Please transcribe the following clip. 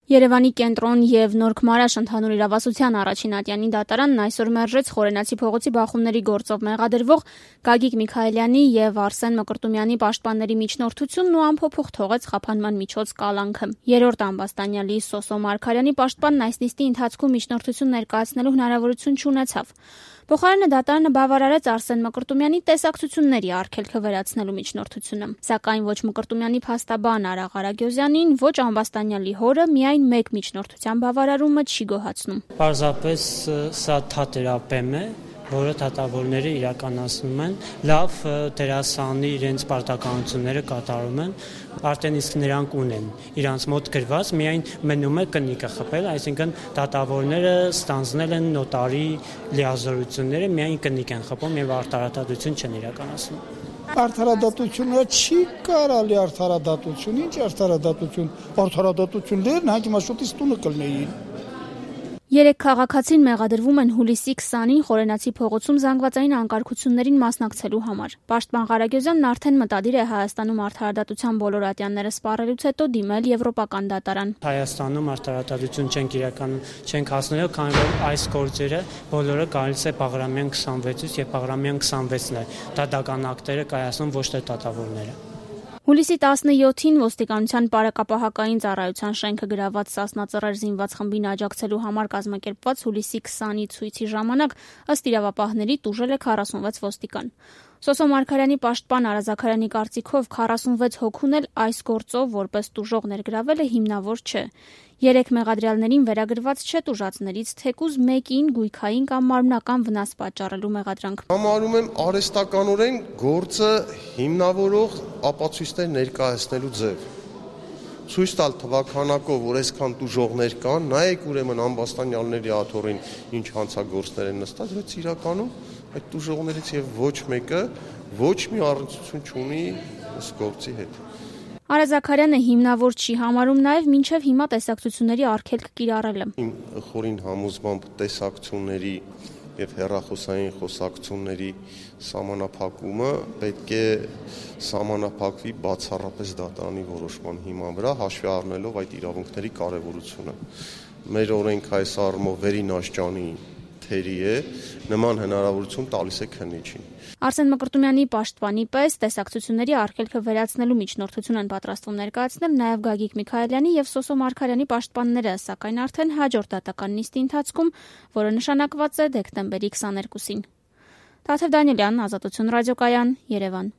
Երևանի կենտրոն եւ Նորք Մարաշ ընդհանուր իրավասության առաջին ատյանի դատարանն այսօր մերժեց Խորենացի փողոցի բախումների գործով մեղադրվող Գագիկ Միքայելյանի եւ Արսեն Մկրտումյանի պաշտպանների միջնորդությունն ու ամփոփող թողեց խափանման միջոց կալանքը։ Երրորդ ամբաստանյալի Սոսո Մարգարյանի պաշտպանն այս նիստի ընթացքում միջնորդություն ներկայացնելու հնարավորություն չունեցավ։ Փոխարենը դատարանը բավարարեց Արսեն Մկրտումյանի տեսակցությունների արգելքը վերացնելու միջնորդությունը, սակայն ոչ Մկրտումյանի փաստաբան Արա Ղարագյոզյանին, ոչ ամբաստանյալի հորը միայն մեկ միջնորդության բավարարումը չի գոհացնում։ Պարզապես սա թատերապեմ է, որը դատավորները իրականացնում են, լավ դերասանի իրենց պարտականությունները կատարում են, արդեն իսկ նրանք ունեն իրանց մոտ գրված, միայն մնում է կնիկը խփել, այսինքն դատավորները ստանձնել են նոտարի լիազորությունները, միայն կնիկ են խփում եւ արտարադատություն չեն իրականացնում։ Արդարադատությունը չի կարելի արդարադատություն, ինչ արդարադատություն, արդարադատություններն հաջի շուտից տունը կլնեին։ Երեք քաղաքացին մեղադրվում են հուլիսի 20-ին Խորենացի փողոցում զանգվածային անկարգություններին մասնակցելու համար։ Պաշտպան Ղարագյոզյանն արդեն մտադիր է Հայաստանում արդարադատության բոլոր ատյանները սպառելուց հետո դիմել եվրոպական դատարան։ Հայաստանում արդարադատություն չենք հասնելու, քանի որ այս գործերը բոլորը գալիս է Բաղրամյան 26-ից եւ Բաղրամյան 26-ն է դատական ակտերը կայացնում, ոչ թե դատավորները։ Հուլիսի 17-ին ոստիկանության պարակապահակային ծառայության շենքը գրաված Սասնա Ծռեր զինված խմբին աջակցելու համար կազմակերպված հուլիսի 20-ի ցույցի ժամանակ ըստ իրավապահների տուժել է 46 ոստիկան։ Սոսո Մարգարյանի պաշտպան Արա Զաքարյանի կարծիքով 46 հոգուն էլ այս գործով որպես տուժող ներգրավելը հիմնավոր չէ։ 3 մեղադրյալներին վերագրված չէ տուժածներից թեկուզ մեկին գույքային կամ մարմնական վնաս պատճառելու մեղադրանք։ Համարում եմ արհեստականորեն գործը հիմնավորող ապացույցներ ներկայացնելու ձև։ Ցույց տալ թվականակով, որ այսքան տուժողներ կան, նայեք ուրեմն ամբաստանյալների աթոռին ինչ հանցագործներ են նստած, բայց իրականում այդ տուժողներից եւ ոչ մեկը ոչ մի առնչություն չունի այս գործի հետ։ Արա Զաքարյանը հիմնավոր չի համարում նաև մինչև հիմա տեսակցությունների արգելք կիրառելը։ Իմ խորին համոզմամբ տեսակցությունների եւ հեռախոսային խոսակցությունների սահմանափակումը պետք է սահմանափակվի բացառապես դատարանի որոշման հիման վրա, հաշվի առնելով այդ իրավունքների կարեւորությունը։ Մեր օրենքը այս առումով վերին աշճանի թերի է, նման հնարավորություն տալիս է քննիչին։ Արսեն Մկրտումյանի պաշտպանի պես տեսակցությունների արգելքը վերացնելու միջնորդություն են պատրաստվում ներկայացնել նաև Գագիկ Միքայելյանի եւ Սոսո Մարգարյանի պաշտպանները, սակայն արդեն հաջորդ դատական նիստի ընթացքում, որը նշանակված է դեկտեմբերի 22-ին։ Տաթև Դանիելյան, Ազատություն ռադիոկայան, Երևան։